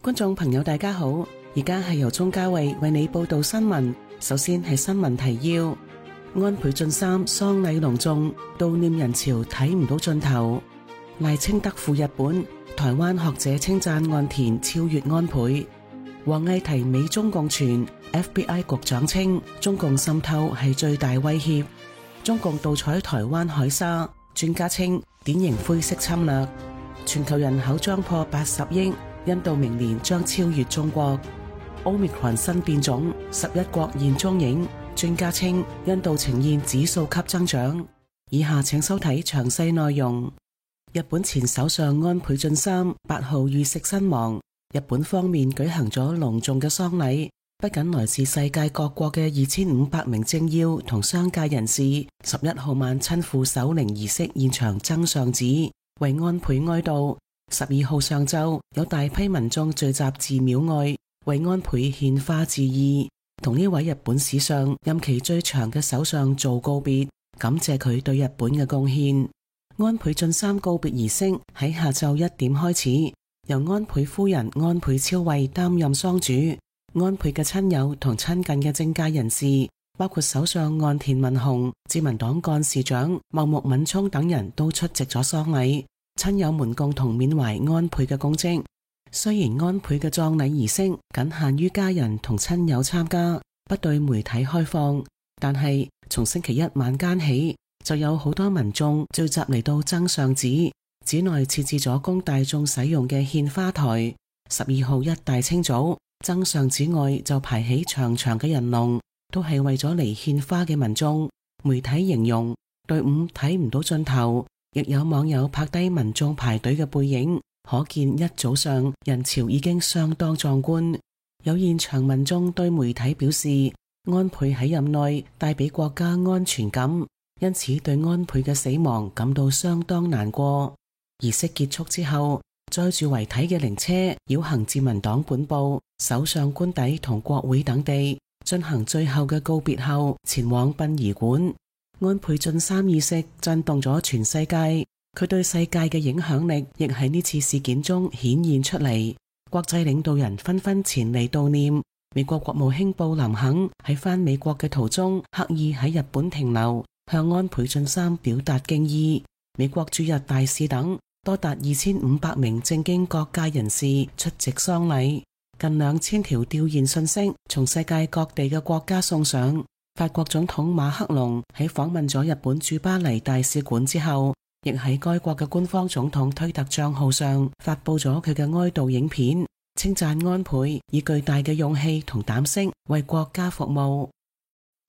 觀眾朋友大家好，而家係由鍾嘉慧為你報道新聞。首先係新聞提要：安倍晉三喪禮隆重，悼念人潮睇唔到盡頭。賴清德赴日本，台灣學者稱讚岸田超越安倍。王毅提美中共傳，FBI 局長稱中共滲透係最大威脅。中共盜採台灣海沙，專家稱典型灰色侵略。全球人口將破80億。印度明年將超越中國。Omicron 新變種，11國現蹤影，專家稱印度呈現指數級增長。以下請收睇詳細內容。日本前首相安倍晉三8號遇刺身亡，日本方面舉行咗隆重嘅喪禮，不僅來自世界各國嘅2500名政要同商界人士，11號晚親赴守靈儀式現場增上紙，為安倍哀悼。12號上晝，有大批民眾聚集寺廟外，為安倍獻花致意，同呢位日本史上任期最長嘅首相做告別，感謝佢對日本嘅貢獻。安倍晉三告別儀式喺下晝1點開始，由安倍夫人安倍昭惠擔任喪主，安倍嘅親友同親近嘅政界人士，包括首相岸田文雄、自民黨幹事長茂木敏充等人都出席咗喪禮。親友們共同緬懷安倍嘅功績。雖然安倍嘅葬禮儀式僅限於家人同親友參加，不對媒體開放，但係從星期一晚間起，就有好多民眾聚集嚟到增上寺，寺內設置咗供大眾使用嘅獻花台。12號一大清早，增上寺外就排起長長嘅人龍，都係為咗嚟獻花嘅民眾。媒體形容隊伍睇唔到盡頭。亦有網友拍低民眾排隊嘅背影，可見一早上人潮已經相當壯觀。有現場民眾對媒體表示，安倍喺任內帶俾國家安全感，因此對安倍嘅死亡感到相當難過。儀式結束之後，載住遺體嘅靈車繞行自民黨本部、首相官邸同國會等地，進行最後嘅告別後，前往殯儀館。安倍晉三意識震動咗全世界，佢對世界嘅影響力亦喺呢次事件中顯現出嚟。國際領導人紛紛前嚟悼念。美國國務卿布林肯喺返美國嘅途中，刻意喺日本停留，向安倍晉三表達敬意。美國駐日大使等多達2500名政經各界人士出席喪禮，近2000條弔唁信息從世界各地嘅國家送上。法國總統馬克龍喺訪問咗日本駐巴黎大使館之後，亦喺該國嘅官方總統推特賬號上發佈咗佢嘅哀悼影片，稱讚安倍以巨大嘅勇氣同膽識為國家服務。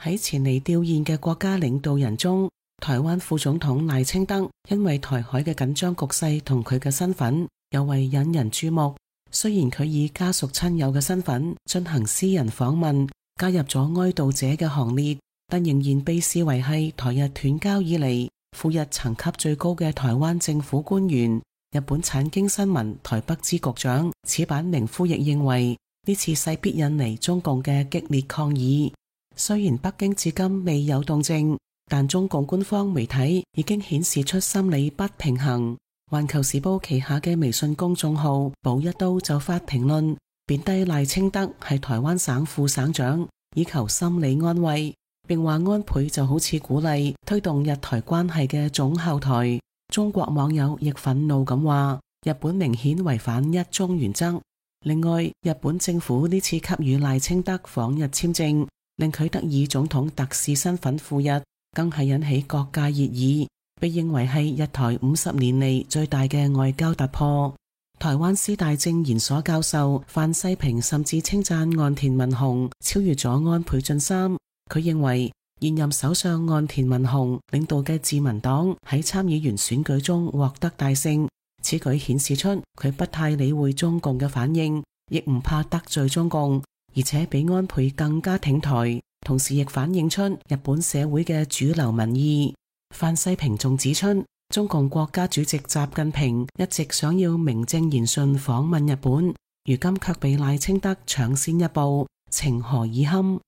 喺前嚟弔唁嘅國家領導人中，台灣副總統賴清德因為台海嘅緊張局勢同佢嘅身份，尤為引人注目。雖然佢以家屬親友嘅身份進行私人訪問，加入咗哀悼者嘅行列，但仍然被視為係台日斷交以嚟赴日層級最高嘅台灣政府官員。日本產經新聞台北支局長矢板明夫亦認為，呢次勢必引嚟中共嘅激烈抗議。雖然北京至今未有動靜，但中共官方媒體已經顯示出心理不平衡。環球時報旗下嘅微信公眾號寶一刀就發評論，貶低賴清德係台灣省副省長，以求心理安慰，並話安倍就好似鼓勵推動日台關係嘅總後台。中國網友亦憤怒咁話，日本明顯違反一中原則。另外，日本政府呢次給予賴清德訪日簽證，令佢得以總統特使身份赴日，更係引起各界熱議，被認為係日台50年嚟最大嘅外交突破。台灣師大政研所教授范世平甚至稱讚岸田文雄超越咗安倍晉三。佢認為現任首相岸田文雄領導嘅自民黨喺參議員選舉中獲得大勝，此舉顯示出佢不太理會中共嘅反應，亦唔怕得罪中共，而且比安倍更加挺台，同時亦反映出日本社會嘅主流民意。范世平仲指出，中共國家主席習近平一直想要名正言順訪問日本，如今卻被賴清德搶先一步，情何以堪？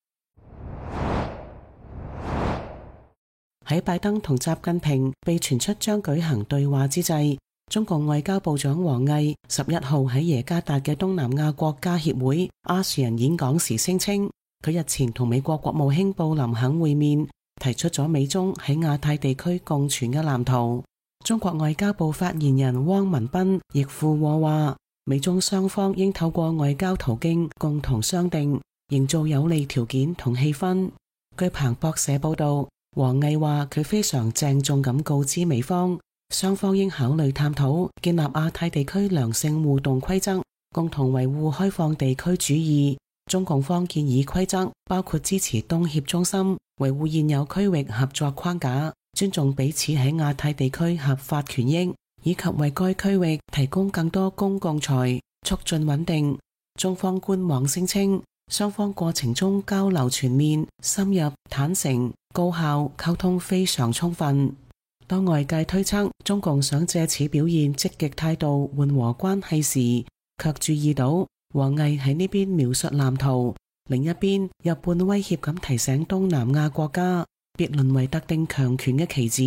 喺拜登同習近平被傳出將舉行對話之際，中共外交部長王毅11號喺耶加達嘅東南亞國家協會 ASEAN 演講時聲稱，佢日前同美國國務卿布林肯會面，提出咗美中喺亞太地區共存嘅藍圖。中國外交部發言人汪文斌亦附和話，美中雙方應透過外交途徑共同商定，營造有利條件同氣氛。據彭博社報道，王毅話佢非常鄭重咁告知美方，雙方應考慮探討建立亞太地區良性互動規則，共同維護開放地區主義。中共方建議規則包括支持東協中心，維護現有區域合作框架，尊重彼此喺亞太地區合法權益，以及為該區域提供更多公共財，促進穩定。中方官網聲稱，雙方過程中交流全面、深入、坦誠、高效，溝通非常充分。當外界推測中共想借此表現積極態度緩和關係時，卻注意到王毅喺呢邊描述藍圖，另一邊又半威脅咁提醒東南亞國家別淪為特定強權嘅棋子，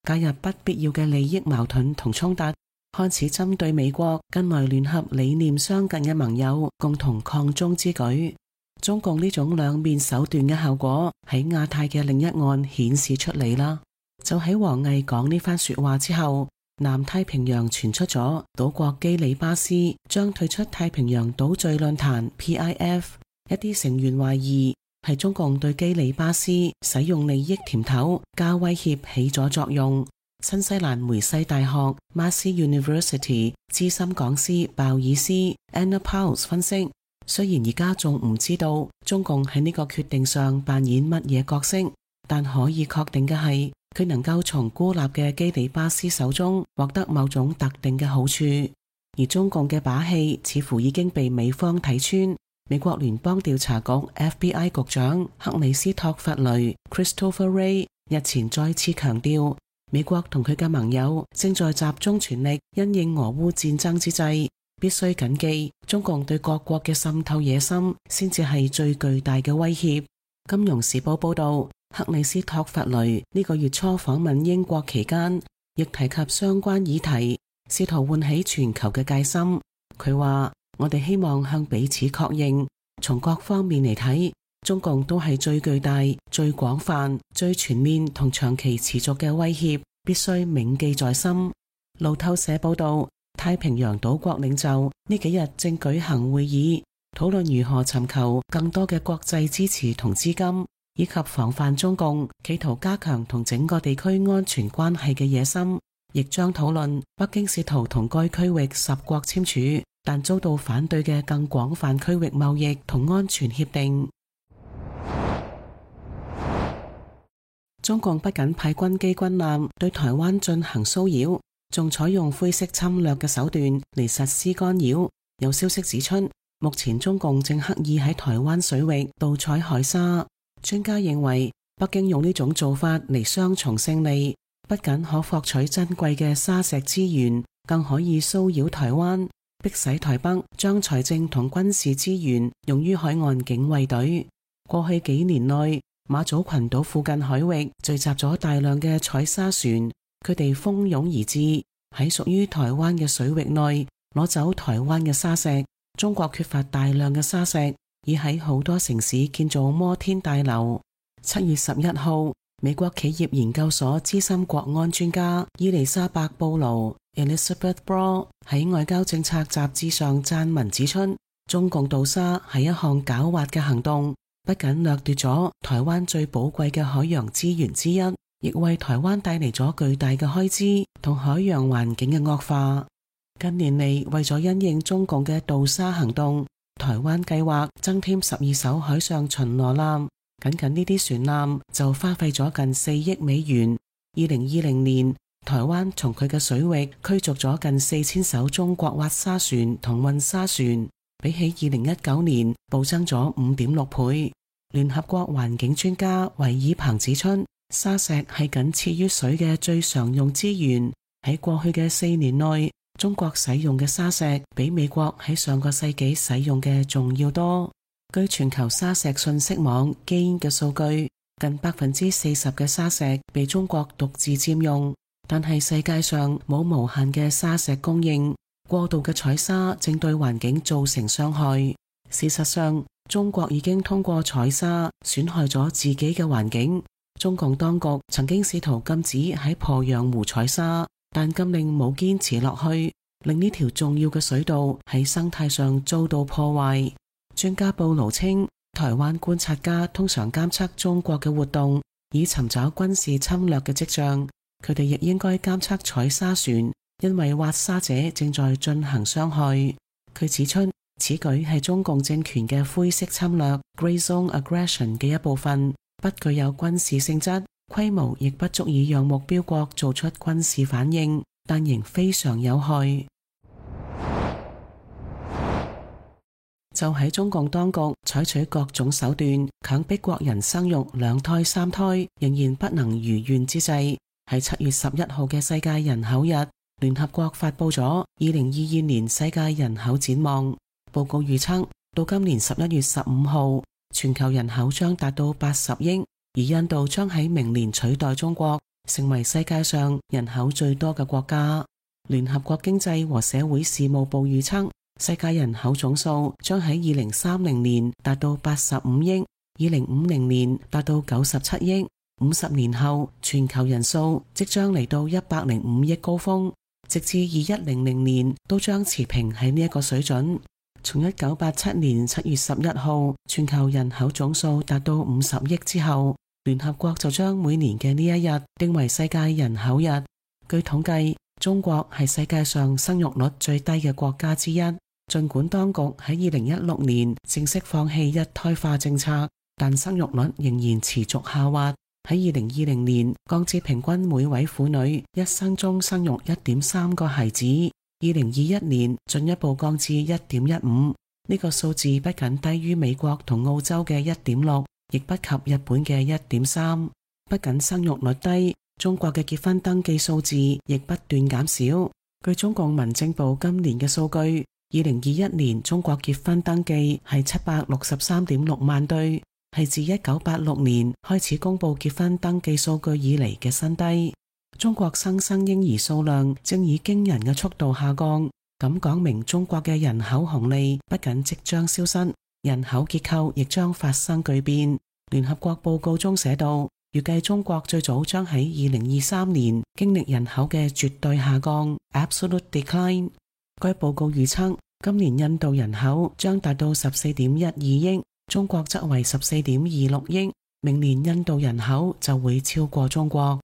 介入不必要嘅利益矛盾同衝突，看似針對美國近來聯合理念相近嘅盟友共同抗中之舉。中共呢種兩面手段嘅效果喺亞太嘅另一岸顯示出嚟啦。就喺王毅講呢番說話之後，南太平洋傳出咗島國基里巴斯將退出太平洋島嶼論壇 PIF， 一啲成員懷疑係中共對基里巴斯使用利益甜頭加威脅起咗作用。新西蘭梅西大學 Massey University 資深講師鮑爾斯 Anna Powles 分析，雖然而家仲唔知道中共喺呢個決定上扮演乜嘢角色，但可以確定嘅係，佢能夠從孤立嘅基里巴斯手中獲得某種特定嘅好處，而中共嘅把戲似乎已經被美方睇穿。美國聯邦調查局 FBI 局長克里斯托弗雷 Christopher Wray 日前再次強調，美國同佢嘅盟友正在集中全力因應俄烏戰爭之際，必須謹記中共對各國嘅滲透野心先至係最巨大嘅威脅。金融時報報道，克里斯托弗雷呢個月初訪問英國期間，亦提及相關議題，試圖喚起全球嘅戒心。佢話：我哋希望向彼此確認，從各方面嚟睇，中共都係最巨大、最廣泛、最全面同長期持續嘅威脅，必須銘記在心。路透社報道，太平洋島國領袖呢幾日正舉行會議，討論如何尋求更多嘅國際支持同資金，以及防範中共企圖加強同整個地區安全關係嘅野心，亦將討論北京試圖同該區域10國簽署但遭到反對嘅更廣泛區域貿易同安全協定。中共不僅派軍機軍艦對台灣進行騷擾，仲採用灰色侵略嘅手段嚟實施干擾。有消息指出，目前中共正刻意喺台灣水域盜採海沙。專家認為，北京用呢種做法嚟雙重勝利，不僅可獲取珍貴嘅沙石資源，更可以騷擾台灣，迫使台北將財政同軍事資源用於海岸警衛隊。過去幾年內，馬祖群島附近海域聚集咗大量嘅採沙船，佢哋蜂擁而至，喺屬於台灣嘅水域內攞走台灣嘅沙石。中國缺乏大量嘅沙石，已喺好多城市建造摩天大樓。7月11號，美國企業研究所資深國安專家伊麗莎白布魯 Elizabeth Broad 喺外交政策雜誌上撰文指出，中共盜沙係一項狡猾嘅行動，不僅掠奪咗台灣最寶貴嘅海洋資源之一，亦為台灣帶嚟咗巨大嘅開支同海洋環境嘅惡化。近年嚟，為咗因應中共嘅盜沙行動，台灣計劃增添12艘海上巡邏艦，僅呢啲船艦就花費咗近4億美元。2020年，台灣從佢嘅水域驅逐咗近4000艘中國挖沙船同運沙船，比起2019年暴增咗5.6倍。聯合國環境專家維爾彭指出，沙石係僅次於水嘅最常用資源。喺過去嘅4年內，中國使用嘅沙石比美國喺上個世紀使用嘅仲要多。據全球沙石信息網 GAIN 嘅數據，近40%嘅沙石被中國獨自佔用。但係世界上冇無限嘅沙石供應，過度嘅採沙正對環境造成傷害。事實上，中國已經通過採沙損害咗自己嘅環境。中共當局曾經試圖禁止喺鄱陽湖採沙，但禁令冇堅持落去，令呢條重要嘅水道喺生態上遭到破壞。專家布勞稱，台灣觀察家通常監測中國嘅活動，以尋找軍事侵略嘅跡象。佢哋亦應該監測採沙船，因為挖沙者正在進行傷害。佢指出，此舉係中共政權嘅灰色侵略 （Grey Zone Aggression） 嘅一部分，不具有軍事性質，規模亦不足以讓目標國做出軍事反應，但仍非常有害。就喺中共當局採取各種手段強迫國人生育2胎3胎，仍然不能如願之際，喺7月11號嘅世界人口日，聯合國發佈咗2022年世界人口展望報告，預測到今年11月15號，全球人口將達到80億，而印度將喺明年取代中國，成為世界上人口最多嘅國家。聯合國經濟和社會事務部預測，世界人口總數將喺2030年達到85億，2050年達到97億。50年後，全球人數即將嚟到105億高峰，直至2100年都將持平喺呢一個水準。從1987年7月11號全球人口總數達到50億之後，聯合國就將每年嘅呢一日定為世界人口日。據統計，中國係世界上生育率最低嘅國家之一。儘管當局喺2016年正式放棄一胎化政策，但生育率仍然持續下滑。喺2020年降至平均每位婦女一生中生育 1.3 個孩子，2021年進一步降至 1.15， 呢個數字不僅低於美國同澳洲嘅 1.6， 亦不及日本嘅 1.3。 不僅生育率低，中國嘅結婚登記數字亦不斷減少。據中共民政部今年嘅數據，2021年中國結婚登記係 763.6 萬對，係自1986年開始公布結婚登記數據以嚟嘅新低。中國新生嬰兒數量正以驚人嘅速度下降，咁講明中國嘅人口紅利不僅即將消失，人口結構亦將發生巨變。聯合國報告中寫道，預計中國最早將喺2023年經歷人口嘅絕對下降 （absolute decline）。該報告預測，今年印度人口將達到 14.12 億，中國則為 14.26 億，明年印度人口就會超過中國。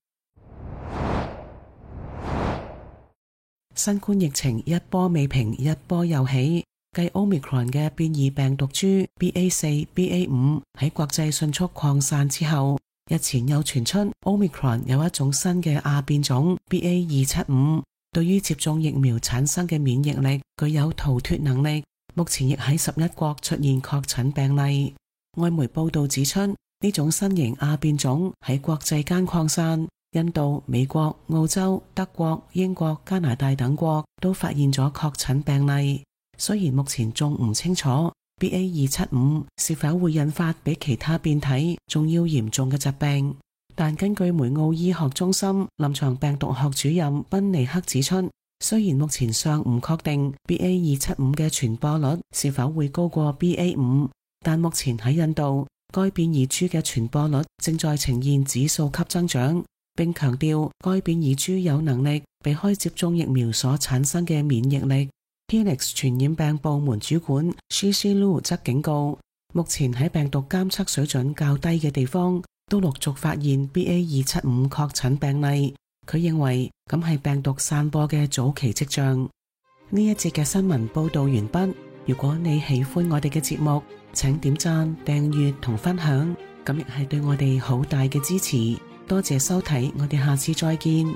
新冠疫情一波未平，一波又起。繼 Omicron 嘅變異病毒株 BA4、BA5 喺國際迅速擴散之後，日前又傳出 Omicron 有一種新嘅亞變種 BA275，對於接種疫苗產生嘅免疫力具有逃脫能力。目前亦喺11國出現確診病例。外媒報道指出，呢種新型亞變種喺國際間擴散，印度、美國、澳洲、德國、英國、加拿大等國都發現咗確診病例。雖然目前仲唔清楚 BA275 是否會引發比其他變體仲要嚴重嘅疾病，但根據梅奧醫學中心臨床病毒學主任賓尼克指出，雖然目前尚唔確定 BA275 嘅傳播率是否會高過 BA5， 但目前喺印度，該變異株嘅傳播率正在呈現指數級增長，並強調該變異株有能力避開接種疫苗所產生嘅免疫力。Helix 傳染病部門主管 Shishi Lu 則警告，目前喺病毒監測水準較低嘅地方都陸續發現 BA275 確診病例。佢認為咁係病毒散播嘅早期跡象。呢一節嘅新聞報道完畢。如果你喜歡我哋嘅節目，請點讚、訂閱同分享，咁亦係對我哋好大嘅支持。多謝收睇，我哋下次再見。